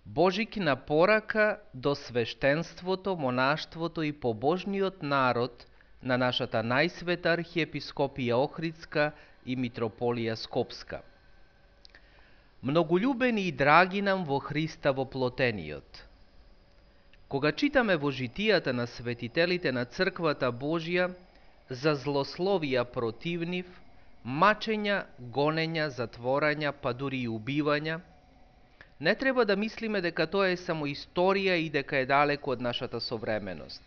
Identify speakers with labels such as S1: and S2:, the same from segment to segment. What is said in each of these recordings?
S1: Божикина порака до свештенството, монаштвото и побожниот народ на нашата најсвета архиепископија Охридска и митрополија Скопска. Многољубени и драги нам во Христа воплотениот. Кога читаме во житијата на светителите на Црквата Божја за злословија против нив, мачења, гонења, затворања, па дури и убивања, не треба да мислиме дека тоа е само историја и дека е далеко од нашата современост.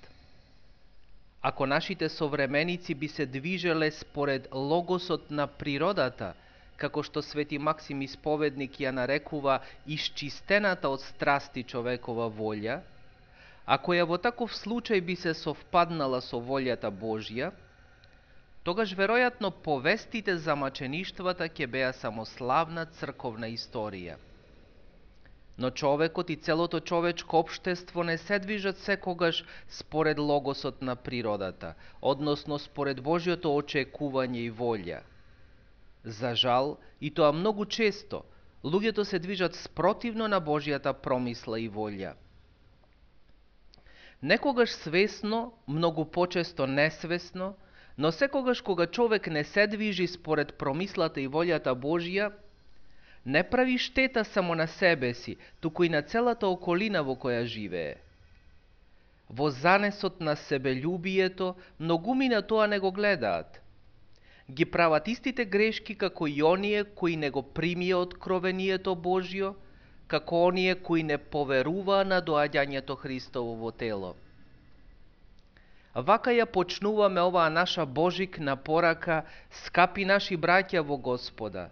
S1: Ако нашите современици би се движеле според логосот на природата, како што свети Максим Исповедник ја нарекува исчистената од страсти човекова волја, ако ја во таков случај би се совпаднала со волјата Божја, тогаш веројатно повестите за мачеништвата ќе беа само славна црковна историја. Но човекот и целото човечко општество не се движат секогаш според логосот на природата, односно според Божјото очекување и волја. За жал, и тоа многу често, луѓето се движат спротивно на Божјата промисла и волја. Некогаш свесно, многу почесто несвесно, но секогаш кога човек не се движи според промислата и волјата Божја, не прави штета само на себе си, туку и на целата околина во која живее. Во занесот на себелюбието, многумина тоа не го гледаат. Ги прават истите грешки како и оние кои не го примија откровението Божјо, како оние кои не поверуваа на доаѓањето Христово во тело. Вака ја почнуваме оваа наша божикна порака, скапи наши браќа во Господа.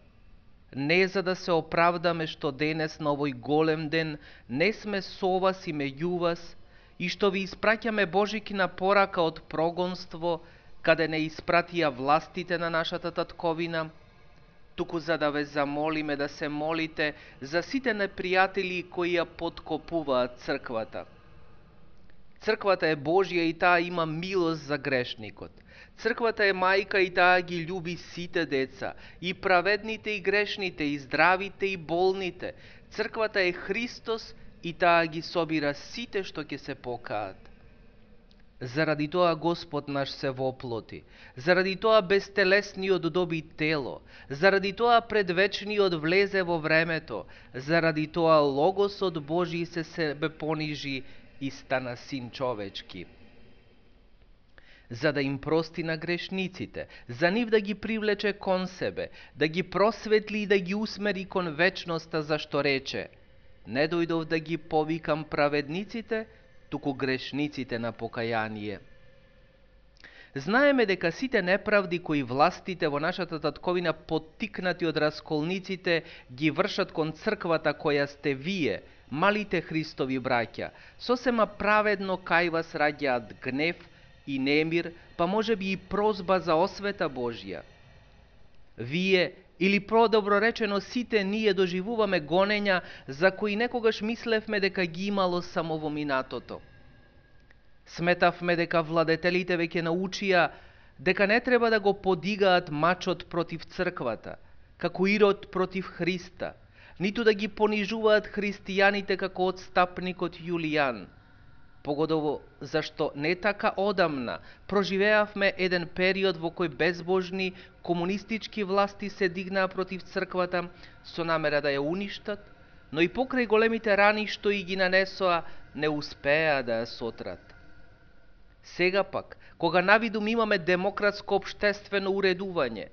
S1: Не за да се оправдаме што денес на овој голем ден не сме со вас и меѓу вас и што ви испраќаме божикна порака од прогонство, каде не испратија властите на нашата татковина, туку за да ве замолиме да се молите за сите непријатели кои ја подкопуваат црквата. Црквата е Божја и таа има милост за грешникот. Црквата е мајка и таа ги љуби сите деца, и праведните и грешните, и здравите и болните. Црквата е Христос и таа ги собира сите што ќе се покаат. Заради тоа Господ наш се воплоти, заради тоа безтелесниот доби тело, заради тоа предвечниот влезе во времето, заради тоа Логосот Божи се себе понижи и стана син човечки. За да им прости на грешниците, за нив да ги привлече кон себе, да ги просветли и да ги усмери кон вечноста, зашто рече: не дојдов да ги повикам праведниците, туку грешниците на покаяние. Знаеме дека сите неправди кои властите во нашата татковина, поттикнати од расколниците, ги вршат кон црквата која сте вие, малите Христови браќа, сосема праведно кај вас раѓаат гнев и немир, па може би и прозба за освета Божја. Вие, или продобро речено сите ние, доживуваме гонења за кои некогаш мислевме дека ги имало само во минатото. Сметавме дека владетелите веќе научија дека не треба да го подигаат мачот против црквата, како Ирод против Христа, ниту да ги понижуваат христијаните како отстапникот Јулијан. Погодово зашто не така одамна проживеавме еден период во кој безбожни комунистички власти се дигнаа против црквата со намера да ја уништат, но и покрај големите рани што и ги нанесоа, не успеа да ја сотрат. Сега пак, кога навидум имаме демократско општествено уредување,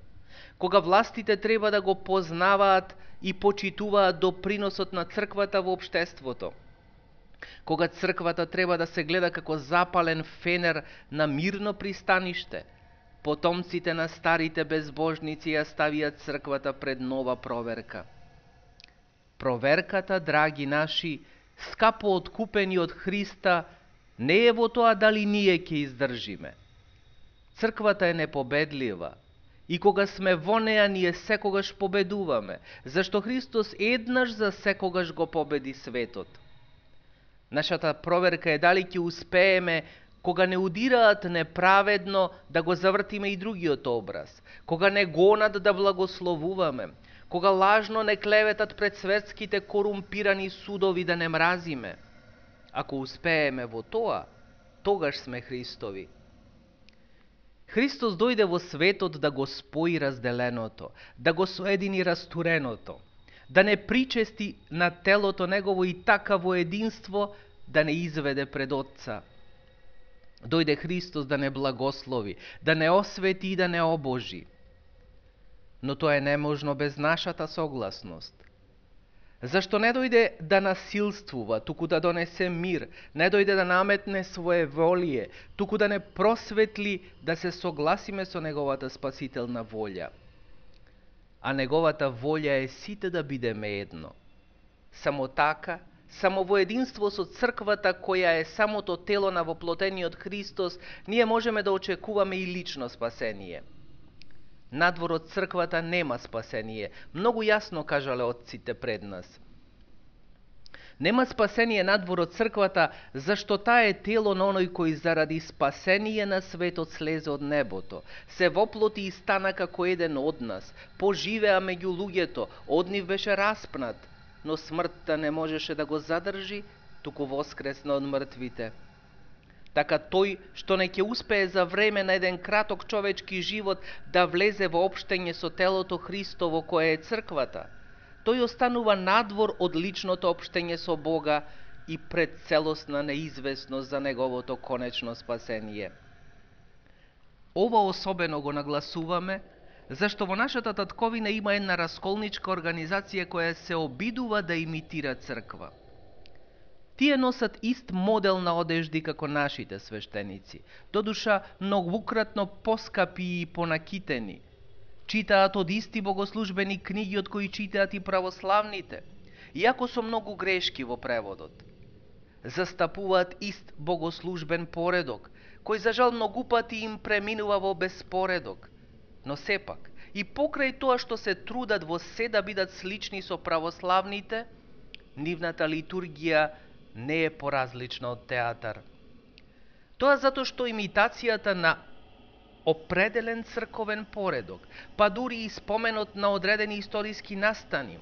S1: кога властите треба да го познаваат и почитуваат доприносот на црквата во општеството, кога црквата треба да се гледа како запален фенер на мирно пристаниште, потомците на старите безбожници ја ставиат црквата пред нова проверка. Проверката, драги наши, скапо откупени од Христа, не е во тоа дали ние ќе издржиме. Црквата е непобедлива и кога сме во неа, ние секогаш победуваме, зашто Христос еднаш за секогаш го победи светот. Нашата проверка е дали ќе успееме, кога не удираат неправедно, да го завртиме и другиот образ, кога не гонат да благословуваме, кога лажно не клеветат пред светските корумпирани судови да не мразиме. Ако успееме во тоа, тогаш сме Христови. Христос дојде во светот да го спои разделеното, да го соедини растуреното, да не причести на телото негово и така во единство да не изведе пред Отца. Дојде Христос да не благослови, да не освети и да не обожи. Но тоа е неможно без нашата согласност. Зашто не дојде да насилствува, туку да донесе мир, не дојде да наметне свое волие, туку да не просветли да се согласиме со неговата спасителна волја. А неговата волја е сите да бидеме едно. Само така, само во единство со црквата, која е самото тело на воплотениот Христос, ние можеме да очекуваме и лично спасение. Надвор од црквата нема спасение. Многу јасно кажале отците пред нас. Нема спасение надвор од црквата, зашто таа е тело на оној кој заради спасение на светот слезе од небото, се воплоти и стана како еден од нас, поживеа меѓу луѓето, од нив беше распнат, но смртта не можеше да го задржи, туку воскресна од мртвите. Така тој што не ќе успее за време на еден краток човечки живот да влезе во општење со телото Христово кое е црквата, тој останува надвор од личното општење со Бога и пред целосна неизвестност за неговото конечно спасение. Ова особено го нагласуваме, зашто во нашата татковина има една расколничка организација која се обидува да имитира црква. Тие носат ист модел на одежди како нашите свештеници, додуша многукратно поскапи и понакитени. Читаат од исти богослужбени книги од кои читаат и православните, иако со многу грешки во преводот. Застапуваат ист богослужбен поредок, кој за жал многу пати им преминува во безпоредок, но сепак, и покрај тоа што се трудат во се да бидат слични со православните, нивната литургија не е поразлична од театар. Тоа затоа што имитацијата на определен црковен поредок, па дури и споменот на одредени историски настани,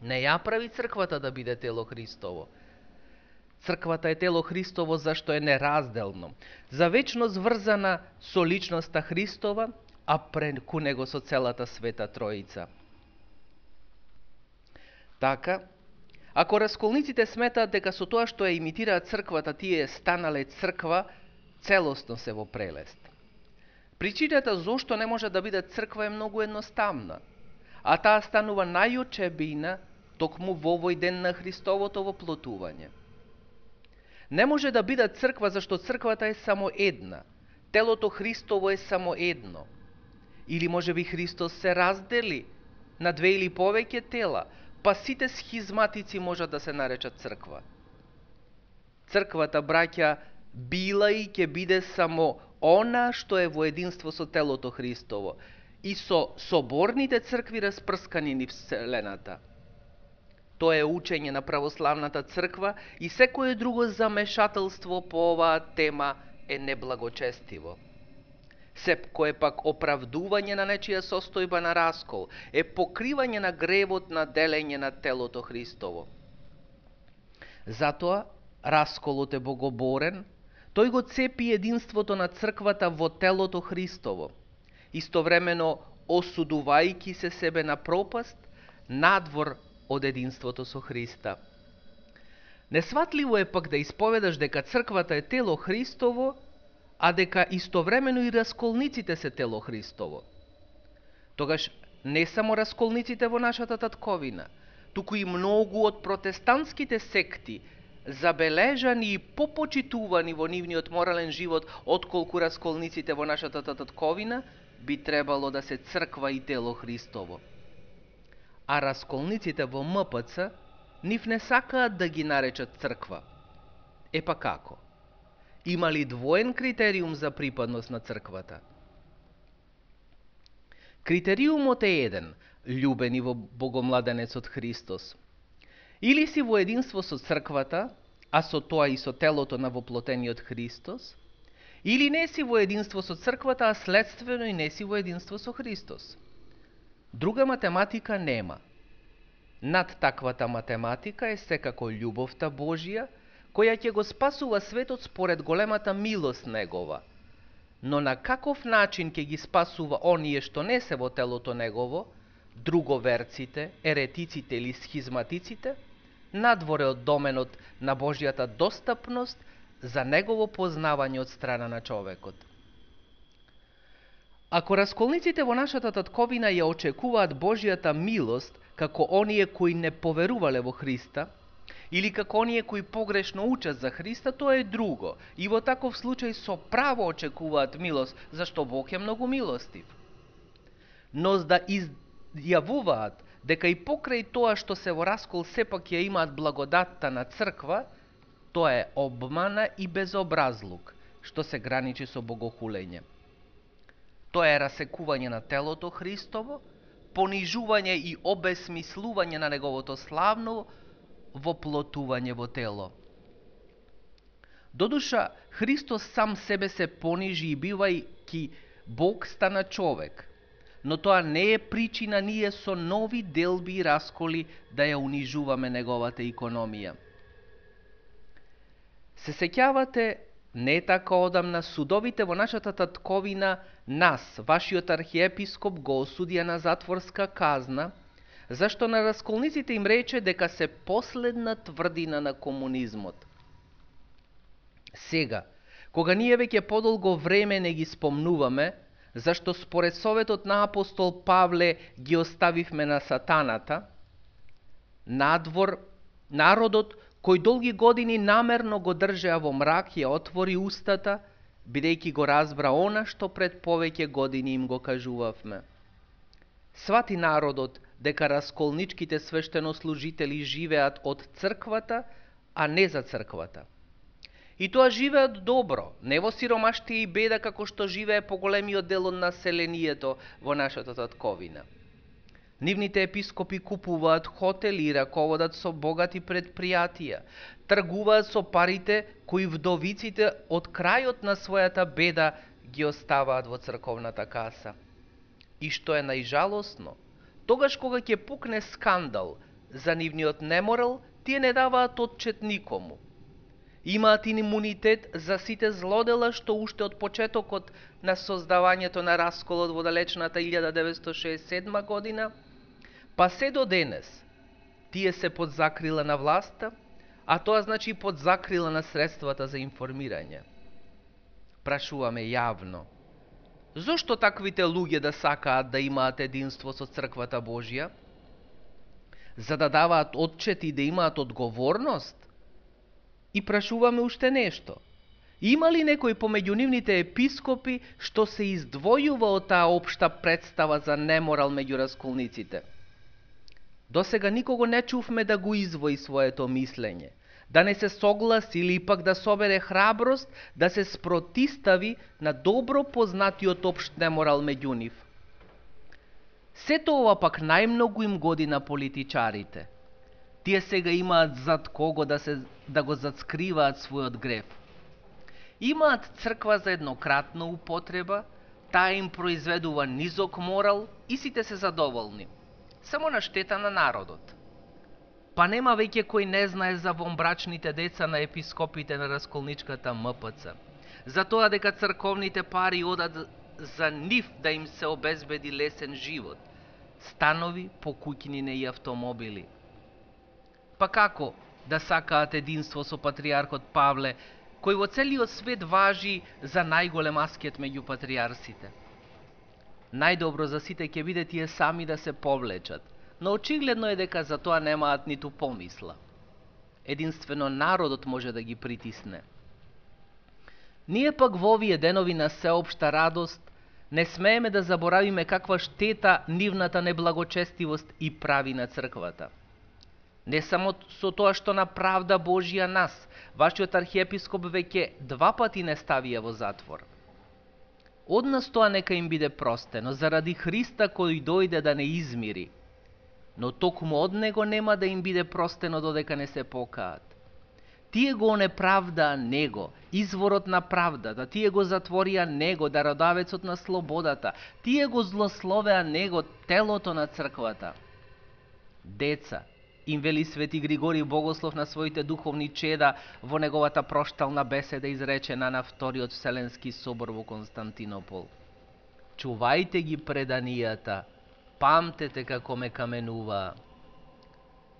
S1: не ја прави црквата да биде тело Христово. Црквата е тело Христово зашто е неразделно, за вечно зврзана со личноста Христова, а преку него со целата Света Троица. Така, ако расколниците сметаат дека со тоа што ја имитираат црквата тие станале црква, целосно се во прелест. Причината зошто не може да биде црква е многу едноставна, а таа станува најочебина токму во овој ден на Христовото воплотување. Не може да биде црква зашто црквата е само една, телото Христово е само едно. Или може би Христос се раздели на две или повеќе тела, па сите схизматици можат да се наречат црква. Црквата, браќа, била и ќе биде само она што е во единство со телото Христово и со соборните цркви распрскани низ вселената. Тоа е учење на православната црква и секое друго замешателство по оваа тема е неблагочестиво. Секое пак оправдување на нечија состојба на раскол е покривање на гревот на делење на телото Христово. Затоа расколот е богоборен, тој го цепи единството на црквата во телото Христово, истовремено осудувајќи се себе на пропаст, надвор од единството со Христа. Несватливо е пак да исповедаш дека црквата е тело Христово, а дека истовремено и расколниците се тело Христово. Тогаш не само расколниците во нашата татковина, туку и многу од протестантските секти, забележани и попочитувани во нивниот морален живот отколку расколниците во нашата татковина, би требало да се црква и тело Христово. А расколниците во МПЦ нив не сакаат да ги наречат црква. Епа како? Има ли двоен критериум за припадност на црквата? Критериумот е еден, љубени во богомладенецот Христос. Или си во единство со црквата, а со тоа и со телото на воплотениот Христос, или не си во единство со црквата, а следствено и не си во единство со Христос. Друга математика нема. Над таквата математика е секако љубовта Божја, која ќе го спасува светот според големата милост негова. Но на каков начин ќе ги спасува оние што не се во телото негово, друговерците, еретиците или схизматиците, надворе од доменот на Божјата достапност за негово познавање од страна на човекот. Ако расколниците во нашата татковина ја очекуваат Божјата милост како оние кои не поверувале во Христа, или како оние кои погрешно учат за Христа, тоа е друго. И во таков случај со право очекуваат милост, зашто Бог е многу милостив. Но да изјавуваат дека и покрај тоа што се во раскол сепак ја имаат благодатта на црква, тоа е обмана и безобразлук, што се граничи со богохулење. Тоа е расекување на телото Христово, понижување и обесмислување на неговото славно воплотување во тело. Додуша, Христос сам себе се понижи и бивајќи Бог стана човек, но тоа не е причина ние со нови делби и расколи да ја унижуваме неговата икономија. Се сеќавате, не така одамна, судовите во нашата татковина нас, вашиот архиепископ, го осудија на затворска казна, зашто на расколниците им рече дека се последна тврдина на комунизмот. Сега, кога ние веќе подолго време не ги спомнуваме, зашто според советот на апостол Павле ги оставивме на сатаната, надвор, народот кој долги години намерно го држеа во мрак ја отвори устата, бидејќи го разбра она што пред повеќе години им го кажувавме. Свати народот дека расколничките свештенослужители живеат од црквата, а не за црквата. И тоа живеат добро, не во сиромаштија и беда како што живее поголемиот дел од населението во нашата татковина. Нивните епископи купуваат хотели и раководат со богати предпријатија, тргуваат со парите кои вдовиците од крајот на својата беда ги оставаат во црковната каса. И што е најжалосно, тогаш кога ќе пукне скандал за нивниот неморал, тие не даваат отчет никому. Имаат имунитет за сите злодела што уште од почетокот на создавањето на расколот во далечната 1967 година, па се до денес, тие се под закрила на власта, а тоа значи под закрила на средствата за информирање. Прашуваме јавно, зошто таквите луѓе да сакаат да имаат единство со црквата Божја? За да даваат отчет и да имаат одговорност? И прашуваме уште нешто. Има ли некој помеѓу нивните епископи што се издвојува од таа општа представа за неморал меѓу расколниците? Досега никого не чувме да го извои своето мислење, да не се согласи или пак да собере храброст да се спротистави на добро познатиот општ неморал меѓу нив. Сето ова пак најмногу им годи на политичарите. Тие сега имаат зад кого да го зацкриваат својот грев. Имаат црква за еднократна употреба, таа им произведува низок морал и сите се задоволни. Само на штета на народот. Па нема веќе кој не знае за вонбрачните деца на епископите на расколничката МПЦ. За тоа дека црковните пари одат за нив да им се обезбеди лесен живот. Станови, покуќнини и автомобили. Па како да сакаат единство со патриархот Павле, кој во целиот свет важи за најголем аскет меѓу патриарсите? Најдобро за сите ќе биде тие сами да се повлечат, но очигледно е дека за тоа немаат ниту помисла. Единствено народот може да ги притисне. Ние пак во овие денови на сеопшта радост не смееме да заборавиме каква штета нивната неблагочестивост и прави на црквата. Не само со тоа што на правда Божја нас, вашиот архиепископ веќе 2 пати не ставија во затвор. Од нас тоа нека им биде простено, заради Христа кој дојде да не измири, но токму од него нема да им биде простено додека не се покаат. Тие го неправдаа него, изворот на правдата, тие го затворија него, дародавецот на слободата, тие го злословеа него, телото на црквата. Деца, им вели Свети Григорий Богослов на своите духовни чеда во неговата проштална беседа изречена на Вториот Вселенски собор во Константинопол. Чувајте ги преданијата, памтете како ме каменуваа.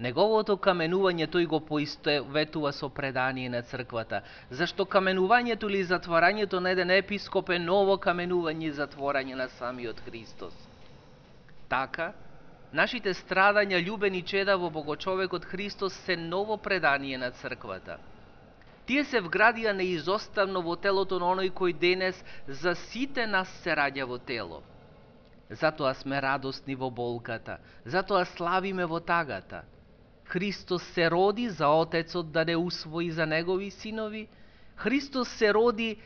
S1: Неговото каменување тој го поистоветува со предание на црквата, зашто каменувањето или затворањето на еден епископ е ново каменување и затворање на самиот Христос. Така, нашите страдања, љубени чеда во Богочовекот Христос се ново предание на црквата. Тие се вградија неизоставно во телото на оној кој денес за сите нас се раѓа во тело. Затоа сме радосни во болката, затоа славиме во тагата. Христос се роди за Отецот да не усвои за негови синови. Христос се роди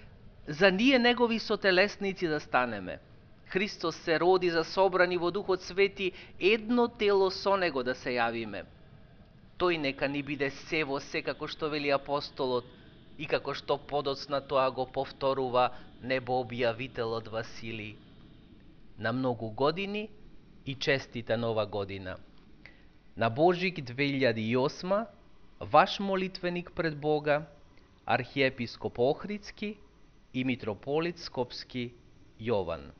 S1: за ние негови сотелесници да станеме. Христос се роди за собрани во Духот Свети едно тело со него да се јавиме. Тој нека ни биде се во се, како што вели апостолот и како што подоцна тоа го повторува небообјавителот Василий. На многу години и честита нова година. На Божик 2008, ваш молитвеник пред Бога, архиепископ Охридски и митрополит Скопски Јован.